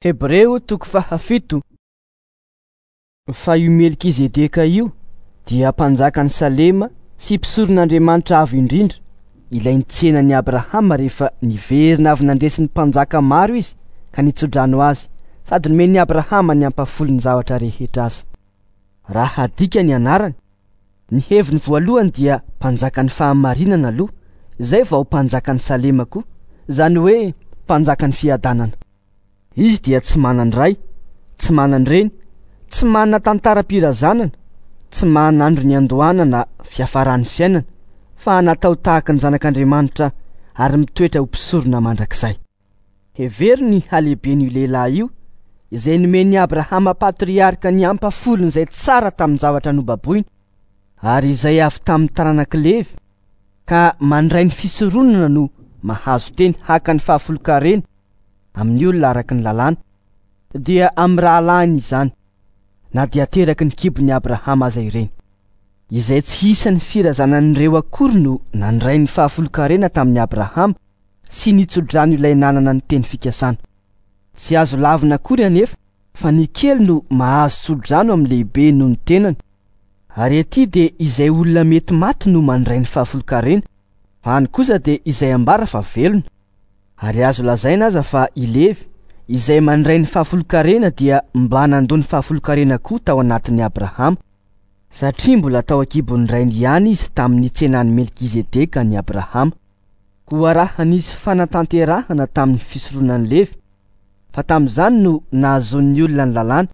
Hebreo toko faha-7. Fa io Melkizedeka io dia mpanjakan'i Salema sy mpisoron'Andriamanitra Avo Indrindra, ilay nitsenan'i Abrahama rehefa niverina avy nandresy ny mpanjaka maro izy ka nitsodrano azy sady nomen'i Abrahama ny ampahafolon'ny zavatra rehetra aza. Raha hadika ny anarany, ny heviny voalohany dia mpanjakan'ny fahamarinana aloha, izay vao mpanjakan'i Salema koa, izany hoe mpanjakan'ny fiadanana. Izy dia tsy manan-dray, tsy manan-dreny, tsy manana tantaram-pirazanana, tsy manana andro niandohana na fiafaran'ny fiainana, fa natao tahaka ny Zanak'Andriamanitra ary mitoetra ho mpisorona mandrakizay. Hevero ny halehiben'io lehilahy io, izay nomen'i Abrahama patriarka ny ampahafolon'izay tsara tamin'ny zavatra nobaboiny, ary izay avy tamin'ny taranak'i Levy, ka mandray ny fisoronana no mahazo teny haka ny fahafolon-karena amin'ny olona araka ny lalàna, dia amin'ny rahalahiny izany, na dia teraky ny kibon'i Abrahama aza ireny. Izay tsy isan'ny firazanan'ireo akory no nandray ny fahafolon-karena tamin'i Abrahama sy nitsodrano ilay nanana ny teny fikasana. Tsy azo lavina akory anefa fa ny kely no mahazo tsodrano amin'ny lehibe noho ny tenany. Ary aty dia izay olona mety maty no mandray ny fahafolon-karena, fa any kosa dia izay ambara fa velona. Ary azo lazaina aza fa i Levy, izay mandray ny fahafolon-karena dia mba nandoa ny fahafolon-karena koa tao anatin'i Abrahama, satria mbola tao an-kibon'ny rainy ihany izy tamin'ny nitsenan'i Melkizedeka an'i Abrahama. Koa raha nisy fanatanterahana tamin'ny fisoronan'i Levy, fa tamin'izany no nahazoan'ny olona ny lalàna,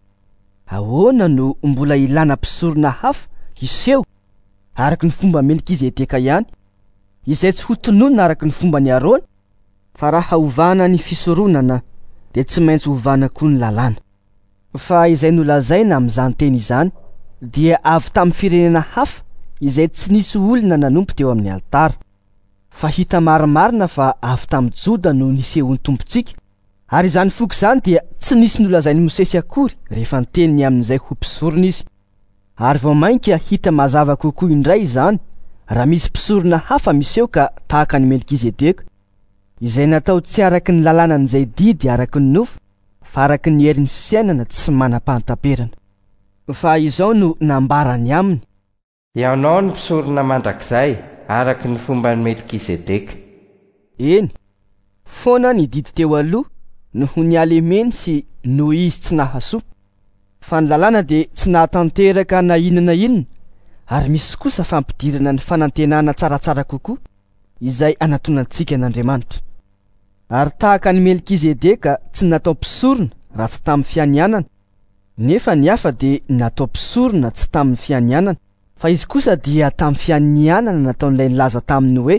ahoana no mbola ilana mpisorona hafa hiseho araka ny fomba Melkizedeka ihany, izay tsy hotononina araka ny fomban'i Arona? Fa raha ovana ny fisoronana, dia tsy maintsy ovana koa ny lalàna. Fa izay nolazaina amin'izany teny izany dia avy tamin'ny firenena hafa izay tsy nisy olona nanompo teo amin'ny alitara. Fa hita marimarina fa avy tamin'i Joda no nisehoan'ny Tompontsika, ary izany foko izany dia tsy nisy nolazain'i Mosesy akory rehefa niteny ny amin'izay ho mpisorona izy. Ary vao mainka hita mazava kokoa indray izany raha misy mpisorona hafa miseho ka tahaka an'i Melkizedeka, izay natao tsy araka ny lalànan'izay didy araka ny nofo, fa araka ny herin'ny fiainana tsy manam-pahataperana. Fa izao no nambarany aminy. Ianao no mpisorona mandrakizay, araka ny fomban'i Melkizedeka. Eny, foana ny didy teo aloha noho ny halemeny sy noho izy tsy nahasoa. Fa ny lalàna dia tsy nahatanteraka na inona na inona, ary misy kosa fampidirana ny fanantenana tsaratsara kokoa, izay anatonantsika an'Andriamanitra. Ary tahaka an'i Melkizedeka tsy natao mpisorona raha tsy tamin'ny fianianana, nefa ny hafa dia natao mpisorona tsy tamin'ny fianianana, fa izy kosa dia tamin'ny fianianana nataon'ilay nilaza taminy hoe: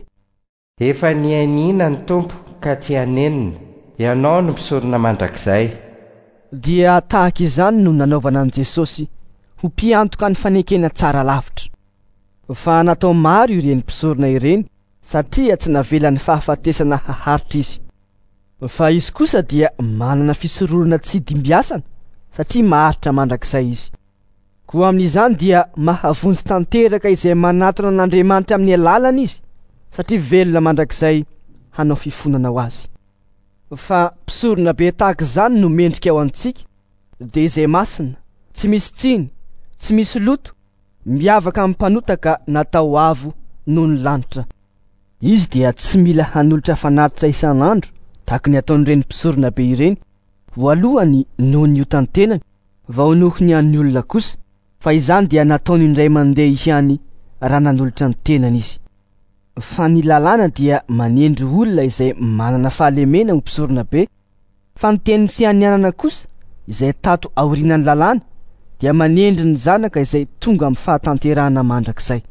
Efa nianiana ny Tompo ka tsy hanenina, ianao no mpisorona mandrakizay. Dia tahaka izany no nanaovana an'i Jesosy ho mpiantoka ny fanekena tsara lavitra. Fa natao maro ireny mpisorona ireny, satria tsy navelan'ny fahafatesana haharitra izy. Fa izy kosa dia manana fisoronana tsy dimbiasana, satria maharitra mandrakizay izy. Koa amin'izany dia mahavonjy tanteraka izay manatona an'Andriamanitra amin'ny alalany izy, satria velona mandrakizay hanao fifonana ho azy. Fa mpisorona be tahaka izany no mendrika ho antsika, dia izay masina, tsy misy tsiny, tsy misy loto, miavaka amin'ny mpanota ka natao avo noho ny lanitra. Izy dia tsy mila hanolotra fanatitra isan'andro tahaka ny ataon'ireny mpisorona be ireny, voalohany noho ny otan-tenany, vao noho ny an'ny olona kosa, fa izany dia nataony indray mandeha ihany raha nanolotra ny tenany izy. Fa ny lalàna dia manendry olona izay manana fahalemena ho mpisorona be, fa ny tenin'ny fianianana kosa, izay tato aorianan'ny lalàna, dia manendry ny zanaka izay tonga amin'ny fahatanterahana mandrakizay.